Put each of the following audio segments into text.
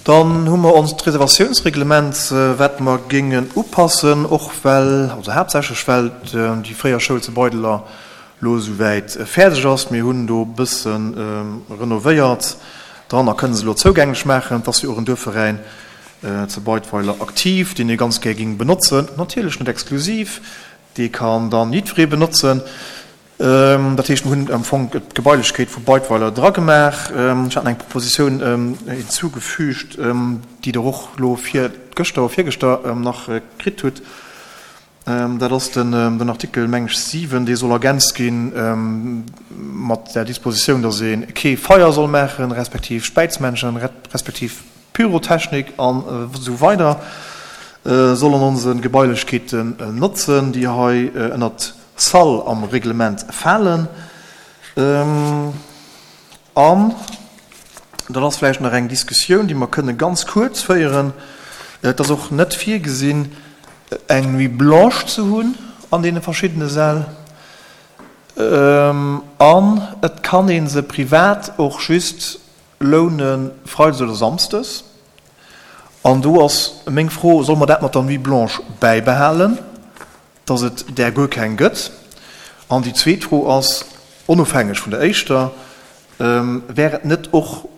Dann hu mer onst Reservatiounsreglement, wat mer géingen upassen, och well, also haaptsächlech well déi fréier Schoul zu Beideler elo esouwäit fäerdeg ass. Mir hunn do e bësse renovéiert dran a kënne se elo zougänglech maachen. Et ass jo och en Duerfveräin zu Beidweiler aktiv, deen ee ganz gär géing benotzen. Natierlech net exklusiv, dee kann dann jiddweree benotzen. Dat heescht, mir hunn am Fong d'Gebailechkeet vu Beidweiler dragemaach. Ech haten eng Propositioun hinzugefügt, déi Der och elo vir gëschter oder virgëschter nach kritt hutt. Dat ass den Artikel, meng ech, 7, dee soll ergänzt gi mat der Dispositioun, dass ee kee Feier soll maachen, respektiv Späizmännchen, respektiv Pyrotechnik an esou weider soll an onse Gebailechkeeten notzen, déi hei ënnert Salle am Reglement falen. An dann ass vläicht nach eng Diskussioun, déi mer kënne ganz kuerz féieren. Et ass och net virgesinn, eng Nuit blanche ze hunn an deene verschiddene Säll. An et kann ee se privat och just loune freides oder samsdes. An do ass meng Fro, Solle mer dat mat der Nuit blanche bäibehalen? dass et där guer keng gëtt? An déi zweet Fro ass, onofhängeg vun der éischter, Wär et net och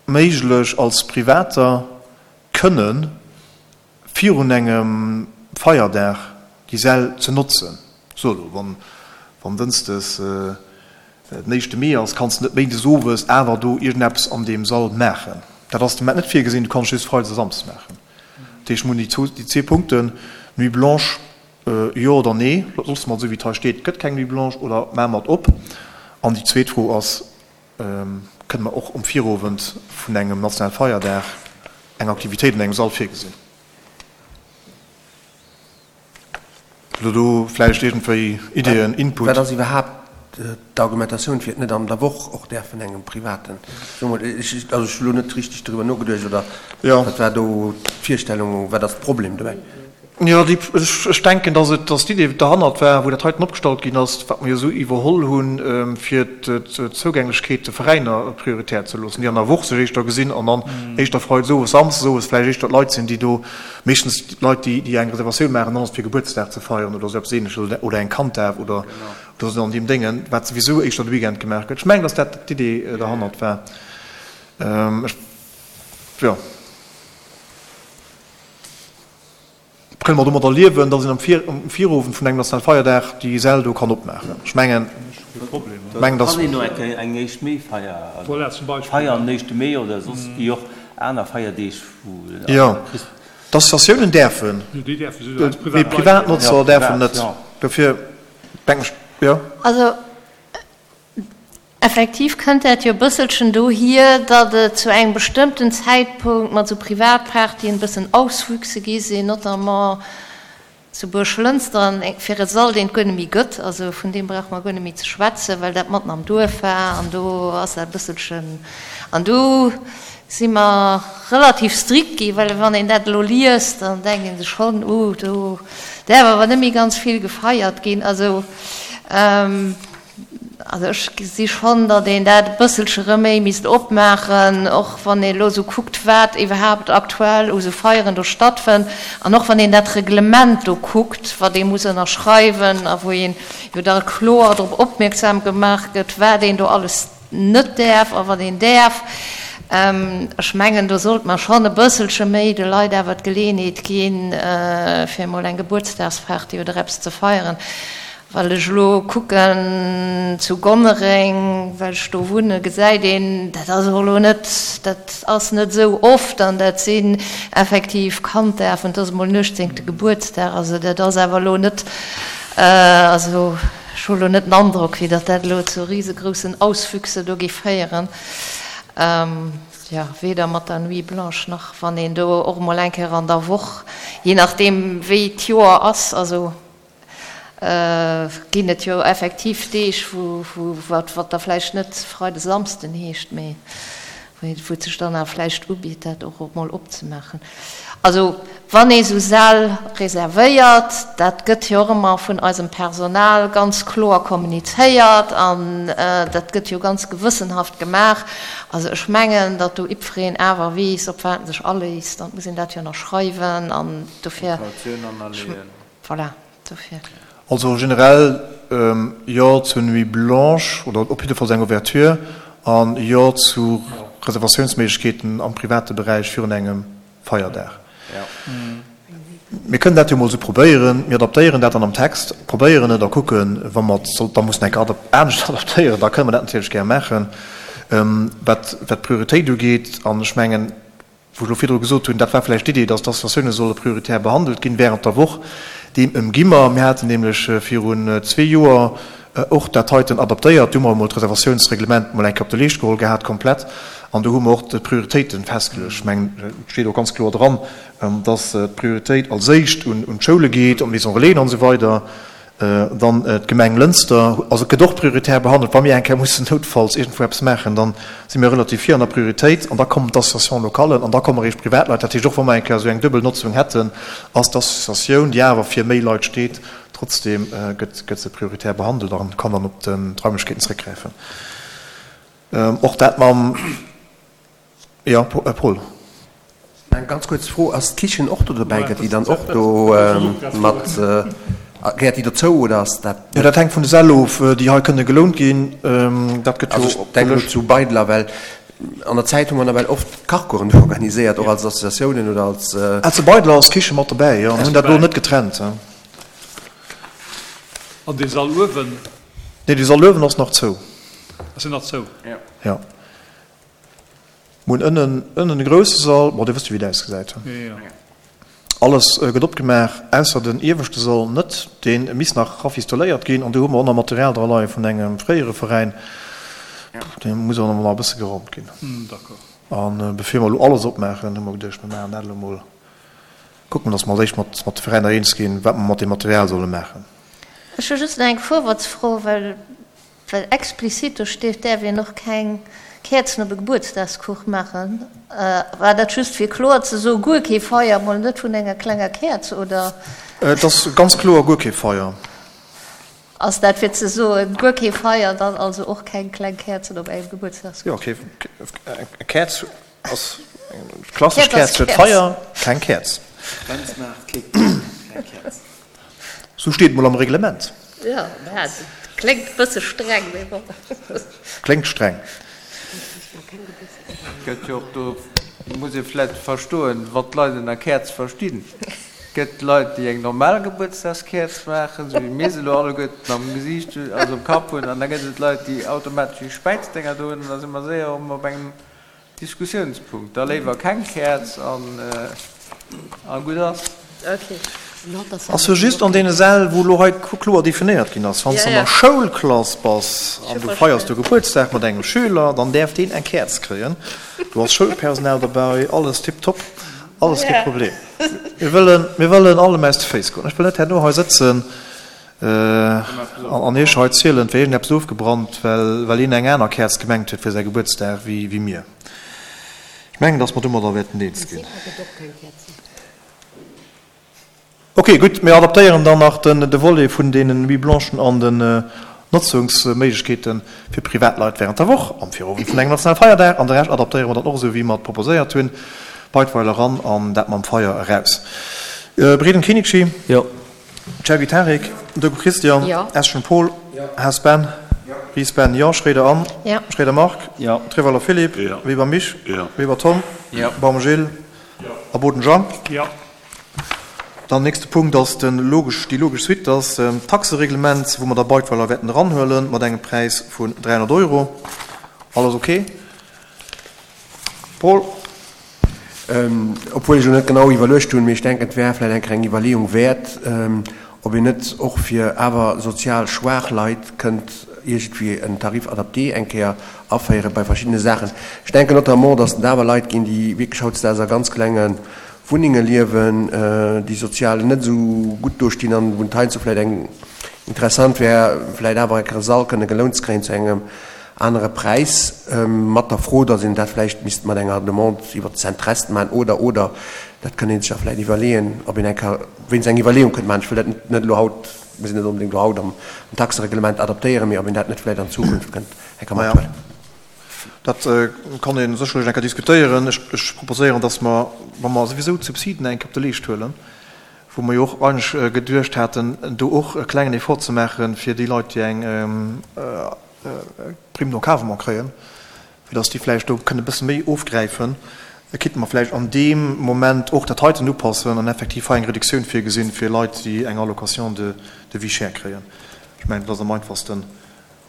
méiglech, als Privater kënne virun engem Feierdag déi Säll ze notzen? So elo, wann wann dënschdes den éischte Mee ass, kanns de net méindes owes awer do iergendeppes an deem Sall maachen. Dat ass de Moment net virgesinn, du kanns just freides a samsdes maachen. Dat heescht, mir hunn déi zwee Punkten, Nuit blanche, jo oder nee, loosse mer et esou wéi et hei steet, et gëtt keng Nuit blanche, oder maache mer et op? An déi zweet Fro ass, Kënne mer och um Virowend vun engem nationale Feierdag eng Aktivitéit an engem Sall virgesinn? Hutt Der do vläicht iergendwéi Ideeën, Input? Wat ass iwwerhaapt d'Argumentatioun, fir et net an der Woch och däerfen engem Privaten, soe mol, ech, also ech hu lo net richteg doriwwer nogeduecht, oder wat war do d'Virstellung, wat ass de Problem dobäi? Jo, déi, ech denken, dass et, dass d'Idee derhannert war, wou dat heiten opgestallt ginn ass, wat mer jo esou iwwerholl hunn, fir d'Zougänglechkeet de Veräiner prioritär ze loossen, déi an der Woch sech éischter gesinn an dann éischter freides owes, samsdes owes vläicht éischter d'Leit sinn, déi do Meeschtens d'Leit, déi, déi eng Reservatioun maachen, dann ass et fir Gebuertsdag ze feieren oder esou eppes Ähnleches oder, oder eng Kanddaf oder, oder esou an deem Déngen, wat souwisou éischter de Weekend gemaach gëtt. Ech mengen, dass dat d'Idee derhannert war. Ech, jo. Kënne mer domadder liewen, dass een am Vir, um Virowend vun engem nationale Feierdag déi Säll do kann opmaachen? Ech mengen, mengen, dass. Kann een och eng, eng éischt Mee-Feier feiern, den éischte Mee oder soss wéi och aner Feierdeeg, wou. Jo. D'Associatiounen däerfen, mee Privatnotzer däerfen net. Dofir denken ech, jo. Also effektiv kënnt dat jo e bësselchen dohier, datt et zu engem bestëmmten Zäitpunkt mat esou Privatpartyen e bëssen Auswüchse gi sinn, notamment Zu Buerglënster, an fir e Sall, deen et guer net méi gëtt, also vun deem brauche mer guer net méi ze schwätzen, well dat matten am Duerf war an do ass dat e bësselchen, an do si mer relativ strikt gi, well wann een dat elo liest, dann denkt ee sech schonn, uh, do däerf awer net méi ganz vill gefeiert ginn. Also. Also ech gesi schonn, datt een dat e bësselche rëm méi misst opmaachen, och wann ee elo esou kuckt, wat iwwerhaapt aktuell u sou Feieren do stattfënnt an och wann een dat Reglement do kuckt, wat ee muss ënnerschreiwen a wou een jo da kloer drop opmierksam gemaach gëtt, wat een do alles net däerf a wat een däerf. Ech mengen, do sollt mer schonn e bësselche méi de Leit awer d'Geleeënheet ginn, fir emol eng Gebuertsdagsparty oder eppes ze feieren. Well ech elo kucken zu Gonnereng, well ech do wunnen, gesäit een, dat ass och elo net, dat ass net esou oft an dat sinn effektiv Kanddafen, et ass emol den uechtzéngte Gebuertsdag, also dat ass awer elo net, also ech hu elo net den Androck, wéi datt dat elo zu risegroussen Auswüchse do géif féieren, jo, weder mat der Nuit blanche nach wann een do och emol eng Kéier an der Woch, jee nachdeem wéi d'Joer ass, also. Ginn et jo effektiv Deeg, wou, wat da vläicht net Freide Samsden heescht, mee. Wou et sech dann awer vläicht ubitt, dat och emol opzemaachen. Also wann ee sou Säll reservéiert, dat gëtt jo och ëmmer vun eisem Personal ganz kloer kommunizéiert an dat gëtt jo ganz gewëssenhaft gemaach. Also ech mengen, datt do jiddwereen awer weess, op wat en sech aléisst an et muss een dat jo nach schreiwen an dofir, voilà. Dofir. Also generell Jo zur Nuit blanche, oder op jiddefalls eng Ouverture, an Jo zu Reservatiounsméiglechkeeten am private Beräich virun engem Feierdag. Mir kënnen dat jo emol esou probéieren. Mir adaptéieren dat dann am Text, probéieren et a kucken, wa mer et da mussen eng Kéier anescht adaptéieren, da kënnen mer dat natierlech gär maachen. Wat d'Prioritéit ugeet, an ech mengen, wou ech elo virdru gesot hunn, dat war vläicht d'Idee, dass d'Associatioune solle prioritär behandelt ginn während der Woch, deem ëmgi mer. Mir haten nämlech virun zwee Joer och dat heiten adaptéiert. Do hu mer emol d'Reservatiounsreglement emol eng Kéier op de Leescht geholl gehat, komplett, an do hu mer och d'Prioritéite festgeluecht. Ech mengen, et steet och ganz kloer dran, dass d'Prioritéit als éischt un d'Schoule geet, un d'Maison Relaisen an esou weider. Dann d'Gemeng Lënster, also et gëtt och prioritär behandelt. Wa mir eng Kéier mussen noutfalls iergendwou eppes maachen, da si mir relativ vir an der Prioritéit an da kommen d'Associations locales an da komme eréischt Privatleit. Dat heescht, och wa mer eng Kéier esou eng duebel Notzung hätten, ass d'Associatioun, déi awer fir méi Leit steet, trotzdeem gëtt se prioritär behandelt a kann dann op d'Raimlechkeeten zréckgräifen. Och dat mam. Jo, Paul. Eng ganz kuerz Fro, Ass d'Kichen och do dobäi? Gëtt déi dann och do mat, gehéiert déi dozou oder ass dat? Jo, dat hänkt vun de Säll of, déi hei kënne gelount ginn. Dat gëtt jo. Also ech denken elo zu Beidler, well an der Zäit hu mer nawell oft Kachcoursen do organiséiert, och als Associatiounen oder als. Ah, zu Beidler ass d'Kiche mat dobäi, jo. Mir hunn dat elo net getrennt. An dee Sall uewen? Nee, dee Sall uewen ass nach zou. Ass deen nach zou? Jo. Mir hunn ënnen, ënnen e grousse Sall, bon, Dir wësst jo, wéi et ausgesäit. Alles gëtt opgemaach, ausser den ieweschte Sall net, dee misst nach rafistoléiert ginn. An do hu mer och nach Material dra leie vun engem fréiere Veräin, dee muss och nach e bësse geraumt ginn. An bevir mer elo alles opmaachen, hu mer geduecht, mir maachen dat elo mol, kucke mer, datt mer als éischt mat de Veräiner eens ginn, wat mer mat deem Material solle maachen. Ech hu just nach eng Vorwärtsfro, well Well explizit do steet, däerf een och keng Käerzen op e Gebuertsdagskuch maachen. War dat just fir kloer ze soen, guer kee Feier, mol net vun enger klenger Käerz, oder? Et ass ganz kloer guer kee Feier. Ass dat fir ze soen, guer kee Feier, dann also och keng kleng Käerzen op engem Gebuertsdagskuch? Jo, kee, eng Käerz ass, eng klassesch Käerz huet Feier, keng Käerz. Keng Käerz. Sou steet et mol am Reglement. Jo, mä et kléngt e bësse streng, mee bon. Kléngt streng. Gëtt jo och do, muss ee vläicht verstoen, wann d'Leit ënner Käerz verstinn. Gëtt Leit, déi eng normal Gebuertsdagskäerz maachen, sou wéi mir se elo alleguerten am Gesiicht hunn, also um Kapp hunn, an da gëtt et Leit, déi automatesch déi Späizdénger do hunn, an da si mer séier erëm op engem Diskussiounspunkt. Da léiwer keng Käerz an gutt ass. Ass jo just an deene Säll, wou elo hei kloer definéiert ginn ass. Wann s de an der Schoulklass bass an du feiers do Gebuertsdag mat engem Schüler, dann däerf deen eng Käerz kréien. Do ass Schoulpersonal derbäi, alles tiptop, alles kee Problem. Mir wëllen, mir wëllen allem aus de Féiss goen. Ech wëll net herno hei sëtzen An iech hei zielen, et wär iergendeppes ofgebrannt, well een eng aner Käerz gemengt huet fir säi Gebuertsdag wéi mir. Ech mengen, dass mer domadder wäerten eens ginn. Ok, gutt, mir adaptéieren dann nach de Volet vun deenen Nuits blanchen an den Notzungsméiglechkeete fir Privatleit während der Woch am Virowend vun engem nationale Feierdag. An de Rescht adaptéiere mer dann och esou, wéi mer et proposéiert hunn, Beidweiler eran an dat mam Feier eraus. Breden Kenichi. Jo. Chergui Tarik, Dogu Christian, Eschen Paul, Haas Ben, Ries Ben, jo, Schroeder Anne, Schroeder Marc, Treweiler Philippe, Weber Mich, Weber Tom, Baum Gilles a Boden Jean. Dann nächste Punkt ass de logesch, déi logesch Suite ass d'Taxereglement, wou mer da Beidweiler wäerten eranhuelen mat engem Präis vun 300 Euro. Alles ok? Paul? Obwuel ech elo net genau iwwerluecht hunn, mee ech denken, et wär vläicht eng kleng Iwwerleeung wäert, ob een net och fir awer sozial schwaach Leit kënnt iergendwéi en Tarif adapté eng Kéier aféiere bei verschiddene Saachen. Ech denken notamment, dass et awer Leit ginn, déi wierklech hautdesdaags a ganz klenge Wunnenge liewen, déi sozial net esou gutt dostinn an wou et heiansdo vläicht eng interessant wär, vläicht awer eng Kéier e Sall kënne gelount ze kréien zu engem. anere Präis, mat der Fro, datt een dat vläicht misst mat enger Demande iwwert d'Centrest maachen oder, oder. Dat kënnt ee sech da vläicht iwwerleeën, ob een eng Kéier wéinst eng Iwwerleeung kënnt maachen. Ech wëll dat net elo haut, mir sinn net onbedéngt elo haut am Taxereglement adaptéieren, mee ob een dat net vläicht an Zukunft kënnt eng Kéier mathuelen. Dat kann ee sécherlech eng Kéier diskutéieren. Ech proposéieren, datt mer, wa mer souwisou d'Subsiden eng Kéier op de Leescht huelen, wou mer jo och eigentlech geduecht haten, do och e klengen Effort ze maachen, fir déi Leit, déi eng Prime d'encadrement kréien, fir datt déi vläicht do kënne e bësse méi ofgräifen, kéinte mer vläicht an deem Moment och dat heiten upassen an effektiv hei eng Reduktioun virgesinn fir Leit, déi eng Allocation de vie chère kréien. Ech mengen, dat ass am einfachsten,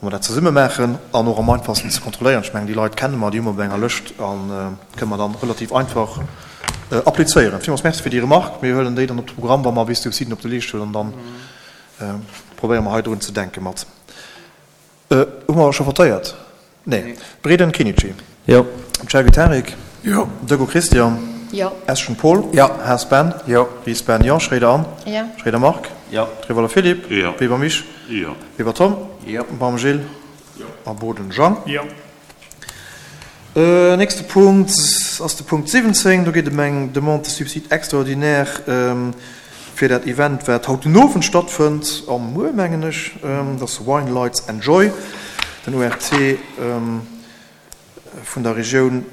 wa mer dat zesumme maachen an och am einfachsten ze kontrolléieren. Ech mengen, déi Leit kenne mer, déi hu mer op enger Lëscht a kënne mer dann relativ einfach applizéieren. Villmools Merci fir déi Remarque. Mir huelen déi dann op de Programm, wa mer bis d'Subsiden op de Leescht huelen, an da probéiere mer hei drun ze denke mat. Hu mer scho votéiert? Nee. Breden Kinichi. Jo. Chergui Tarik. Jo. Dego Christian. Jo. Eschen Paul. Jo. Haas Ben. Jo. Ries Ben, jo. Schréider Anne. Jo. Schréider Marc. Jo. Trevoller Philippe. Jo. Weber Misch. Jo. Weber Tom. Jo. Baum Gilles. Jo. A Boden Jean. Jo. Nächste Punkt ass de Punkt 17. Do geet et ëm eng Demande de subside extraordinaire fir dat Event, wat haut den Owend stattfënnt, a muer, mengen ech. Dat ass Wine Lights and Joy, den ORT vun der Regioun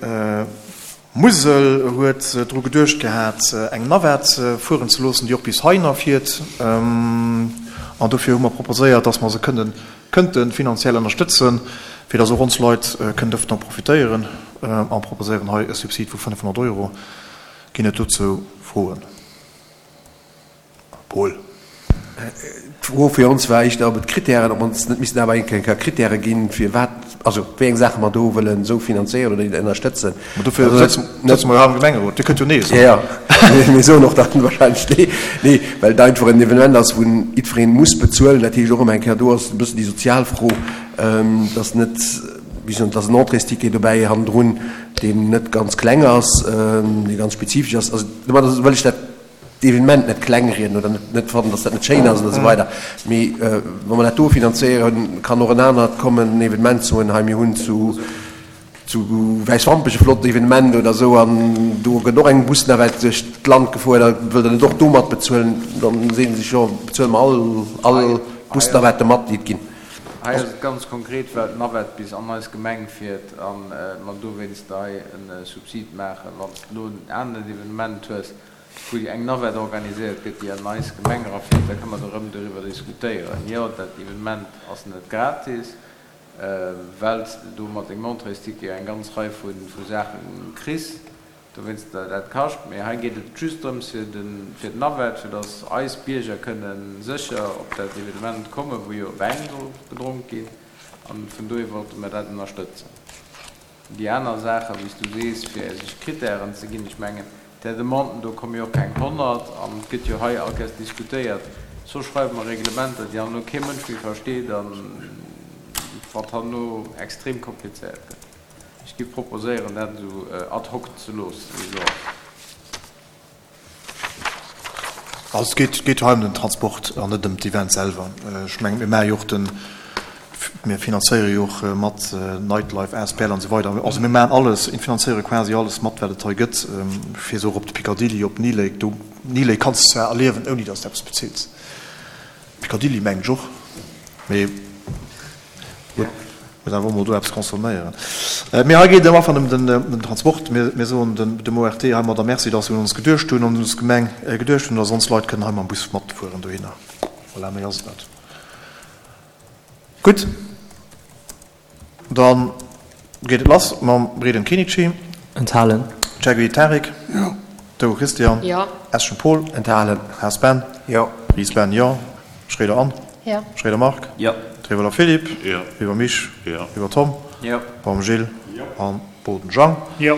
Musel huet dru geduecht gehat, eng Navette fueren ze loossen, déi och bis heihinner fiert. An dofir hu mer proposéiert, dass mer se kënnen, kënnte finanziell ënnerstëtzen, fir dass och ons Leit kënnen dovunner profitéieren, a proposéieren hei e Subsid vu 500 Euro. Ginn et dozou Froen? Paul. D'Fro fir ons war éischter, ob et Kritären, ob ons net missten awer eng Kéier Kritäre ginn, fir wat, also wéi eng Saache mer do wëllen esou finanzéieren oder ënnerstëtzen. Ma dofir sëtze mer jo hei am Gemengerot. Dir kënnt jo Nee soen. Jo, jo, mir soen och dann wahrscheinlech Nee. Nee, well et einfach en Evenement ass, wou jiddweree muss bezuelen. Dat heescht och ëmmer eng Kéier, do ass e bëssen déi sozial Fro, dass net, wéi soen, dass en Entréesticket dobäi hannendrun, deen net ganz kleng ass, dee ganz spezifesch ass. Also domadder wëll ech dat d'Evenement net klengrieden oder net fannen, dass dat net schéin ass oder esou weider, mee wa mer dat do finanzéieren, kann och en anert kommen, en Evenement soen, hei mir hunn zu zu Wäiswampech e flott Evenement oder esou an do gëtt och eng Busnavette duerch d'Land gefuer, da wëllt Der net och do mat bezuelen? Dann seet ee sech, jo bezuele mer all all Busnavette mat, déi et ginn. Hei ass et ganz konkret, well d'Navette bis an eis Gemeng fiert a mer dowéinst hei e Subsid maachen. Wann s de elo en anert Evenement hues, wou eng Navette organiséiert gëtt, déi an eis Gemeng erafiert, da kënne mer do erëm doriwwer diskutéieren. Jo, dat Evenement ass net gratis, well s de do mat dengem Entréesticket eng ganz Rei vu Saache kriss, dowéinst dat kascht. Mee hei geet et just drëms fir d'Navette, fir datt eis Bierger kënne sécher op dat Evenement kommen, wou jo Wäin soll gedronk ginn. An vun dohier wollte mer dat ënnerstëtzen. Déi aner Saachen, wéi s du sees, fir sech Kritären ze ginn, ech mengen, där Demanden do komme jo och keng 100 an et gëtt jo hei all Kéiers diskutéiert. Soss schreiwe mer Reglementer, déi herno kee Mënsch méi versteet an wat herno extrem komplizéiert gëtt. Ech géif proposéieren, dat esou ad hoc ze loossen, wéi se ass. Also et geet hei ëm den Transport an net ëm d'Event selwer. Ech mengen, mir maache jo och den, mir finanzéiere jo och mat Nightlife asbl an esou weider. Also mir maachen alles, finanzéiere quasi alles mat, wat et hei gëtt, fir se och op de Picadilly, op Knee Lake. Do, Knee Lake kanns de zwar erliewen, ouni datt s de eppes bezills. Picadilly mengen ech och, mee gutt, muss awer och mol do eppes consomméieren. Mee hei geet et am Ufank ëm den Transport. Mir soen dem ORT heimadder Merci, dass se un ons geduecht hunn, an un ons Gemeng geduecht hunn, dass ons Leit kënnen hei mam Bus matfueren dohinner. Voilà, méi ass et net. Gutt. Dann geet et lass mam Breden Kinici. Enthalen. Chergui Tarik. Jo. Dego Christian. Jo. Eschen Paul. Enthalen. Haas Ben. Jo. Ries Ben, jo. Schroeder Anne. Jo. Schroeder Marc. Jo. Trevoller Philippe. Jo. Weber Misch. Jo. Weber Tom. Jo. Baum Gilles. Jo. An Boden Jean. Jo.